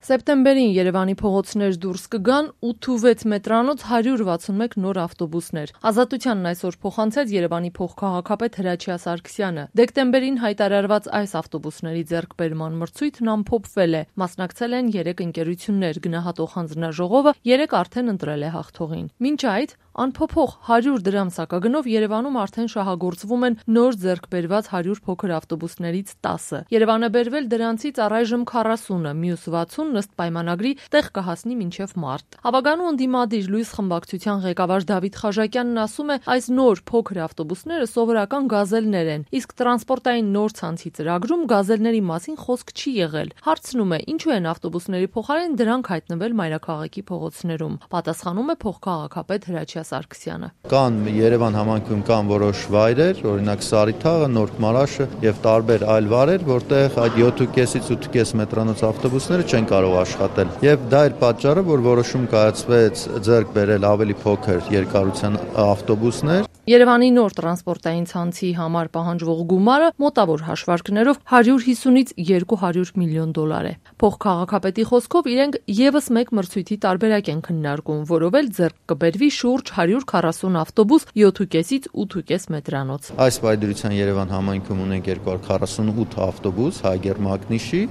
Սեպտեմբերին Երևանի փողոցներ դուրս կգան 8-6 մետրանոց 161 նոր ավտոբուսներ։ Ազատությանն այսօր փոխանցեց Երևանի փոխքաղաքապետ Հրաչյա Սարգսյանը։ Դեկտեմբերին հայտարարված այս ավտոբուսների ձեռքբերման մրցույթն ամփոփվել է։ Մասնակցել են 3 ընկերություններ, գնահատող հանձնաժողովը 3 արդեն ընտրել է հաղթողին։ Մինչ այդ անփոփոխ 100 դրամ սակագնով Երևանում արդեն շահագործվում են նոր ձեռքբերված 100 փոքր ավտոբուսներից 10-ը։ Երևանը բերվել դրանցից առայժմ 40-ը, մյուս 60 ըստ պայմանագրի տեղ կհասնի մինչև մարտ։ Ավագանու ընդդիմադիր լույս խմբակցության ղեկավար Դավիթ Խաժակյանն ասում է, այս նոր փոքր ավտոբուսները սովորական գազելներ են, իսկ տրանսպորտային նոր ցանցի ծրագրում գազելների մասին խոսք չի եղել։ Հարցնում է, ինչու են ավտոբուսների փոխարեն դրանք հայտնվել մայրաքաղաքի փողոցներում։ Պատասխանում է փոխքաղաքապետ Հրաչյա Սարգսյանը։ Կան Երևան համայնքում կան որոշ վայրեր, օրինակ Սարիթաղը, Նորք Մարաշը եւ տարբեր այլ վայրեր, որտեղ այդ 7.5-ից 8.5 մետրանոց ավտոբուսները չեն կարող աշխատել։ Եվ դա էր պատճառը, որ որոշում կայացվեց ձեռք բերել ավելի փոքր երկարության ավտոբուսներ։ Երևանի նոր տրանսպորտային ցանցի համար պահանջվող գումարը մոտավոր հաշվարկներով 150-ից 200 միլիոն դոլար է։ Փոխքաղաքապետի խոսքով իրենք եւս մեկ մրցույթի տարբերակ են քննարկում, որով էլ ձեռք կբերվի շուրջ 140 ավտոբուս 7.5-ից 8.5 մետրանոց։ Այս պայդրության Երևան համայնքում ունենք 248 ավտոբուս հայ գերմագնիշի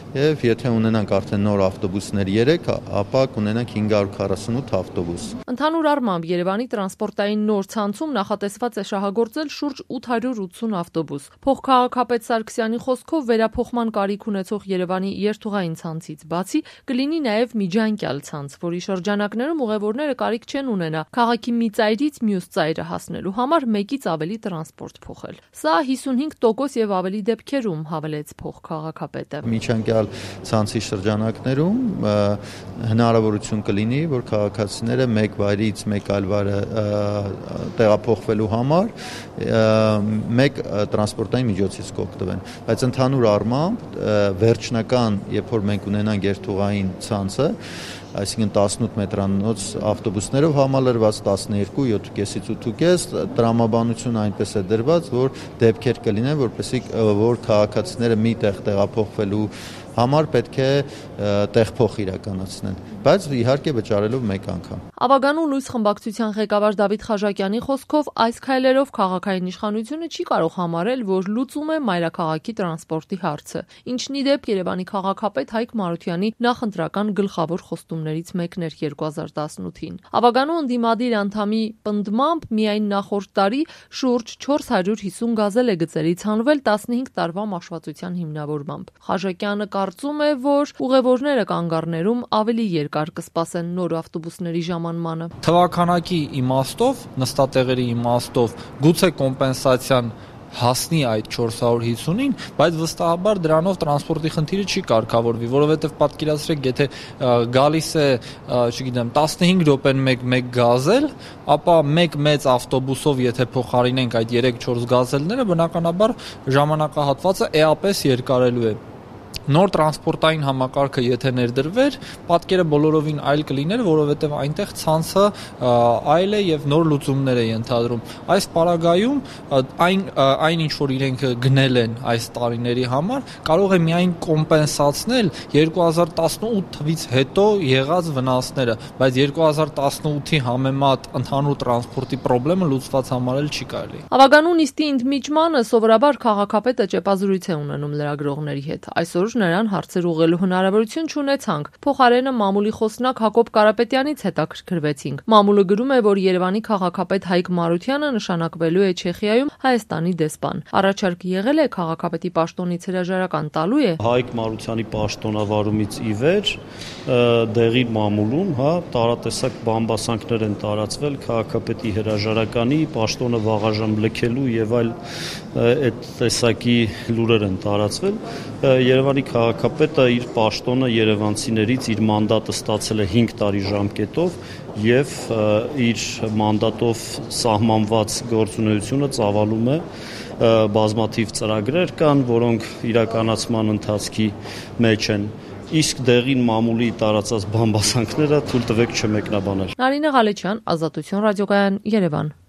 եւ եթե ունենանք արդեն նոր ավտոբուսներ 3, ապա կունենանք 548 ավտոբուս։ Ընդհանուր առմամբ Երևանի տրանսպորտային նոր ցանցում նախատեսված է շահագործել շուրջ 880 ավտոբուս։ Փոխքաղաքապետ Սարգսյանի խոսքով վերափոխման կարիք ունեցող Երևանի երթուղային ցանցից բացի կլինի նաև միջանկյալ ցանց, որի շրջանակներում ուղևորները կարիք չեն ունենա քաղաքի մի ծայրից մյուս ծայրը հասնելու համար մեկից ավելի տրանսպորտ փոխել։ Սա 55% եւ ավելի դեպքերում, հավելեց փոխքաղաքապետը։ Միջանկյալ ցանցի շրջանակներում հնարավորություն կլինի, որ քաղաքացիները մեկ վայրից մեկ այլ վայրը տեղափոխվելու համար մեկ տրանսպորտային միջոցից կօգտվեն, բայց ընդհանուր առմամբ վերջնական, երբ որ մենք ունենանք երթուղային ցանցը, այսինքն 18 մետրանոց ավտոբուսներով համալրված 12, 7.5-ից 8.5 տրամաբանությունը այնպես է դրված, որ դեպքեր կլինեն, որ քաղաքացիները մի տեղ տեղափոխվելու համար պետք է տեղփոխ իրականացնեն, բայց իհարկե վճարելով մեկ անգամ։ Ավագանու լույս խմբակցության ղեկավար Դավիթ Խաժակյանի խոսքով այս քայլերով քաղաքային իշխանությունը չի կարող համարել, որ լուծում է մայրաքաղաքի տրանսպորտի հարցը, ինչն ի դեպ Երևանի քաղաքապետ Հայկ Մարությանի նախընտրական գլխավոր խոստումներից մեկն էր 2018-ին։ Ավագանու ընդդիմադիր անդամի պնդմամբ միայն նախորդ տարի շուրջ 450 գազել է գծերից հանվել 15 տարվա մաշվածության հիմնավորմամբ։ Խաժակյանը կարծում է, որ ուղևորները կանգառներում ավելի երկար կսպասեն նոր ավտոբուսների ժամանմանը։ Թվականակի իմաստով, նստատեղերի իմաստով գուցե կոմպենսացիան հասնի այդ 450-ին, բայց վստահաբար դրանով տրանսպորտի խնդիրը չի կարգավորվի, որովհետև պատկերացրեք, եթե գալիս է, չգիտեմ, 15 րոպեն մեկ գազել, ապա մեկ մեծ ավտոբուսով եթե փոխարինենք այդ 3-4 գազելները, բնականաբար ժամանակահատվածը էապես երկարելու է։ Նոր տրանսպորտային համակարգը եթե ներդրվեր, պատկերը բոլորովին այլ կլիներ, որովհետև այնտեղ ցանցը այլ է եւ նոր լուծումներ է ենթադրում։ Այս պարագայում այն ինչ որ իրենք գնել են այս տարիների համար, կարող է միայն կոմպենսացնել 2018 թվից հետո եղած վնասները, բայց 2018-ի համեմատ ընդհանուր տրանսպորտի խնդիրը լուծված համարել չի կարելի։ Ավագանու նիստի ընդմիջմանը սովորաբար քաղաքապետը ճեպազրույց է ունենում լրագրողների հետ։ Այսօր նրան հարցեր ուղղելու հնարավորություն չունեցանք։ Փոխարենը մամուլի խոսնակ Հակոբ Կարապետյանից հետաքրքրվեցինք։ Մամուլը գրում է, որ Երևանի քաղաքապետ Հայկ Մարությանը նշանակվելու է Չեխիայում Հայաստանի դեսպան։ Առաջարկ եղել է քաղաքապետի պաշտոնից հրաժարական տալու է։ Հայկ Մարությանի պաշտոնավարումից ի վեր դեղի մամուլում, տարատեսակ բամբասանքներ են տարածվել քաղաքապետի հրաժարականի պաշտոնը վաղաժամ լքելու եւ այլ այդ տեսակի լուրեր են տարածվել։ Երևանի քաղաքապետը իր պաշտոնը երևանցիներից իր մանդատը ստացել է 5 տարի ժամկետով եւ իր մանդատով սահմանված գործունեությունը ծավալում է բազմաթիվ ծրագրեր կան, որոնք իրականացման ընթացքի մեջ են։ Իսկ դեղին մամուլի տարածած բամբասանքները թույլ տվեք չմեկնաբանել։ Նարինե Ղալեչյան, Ազատություն ռադիոկայան, Երևան։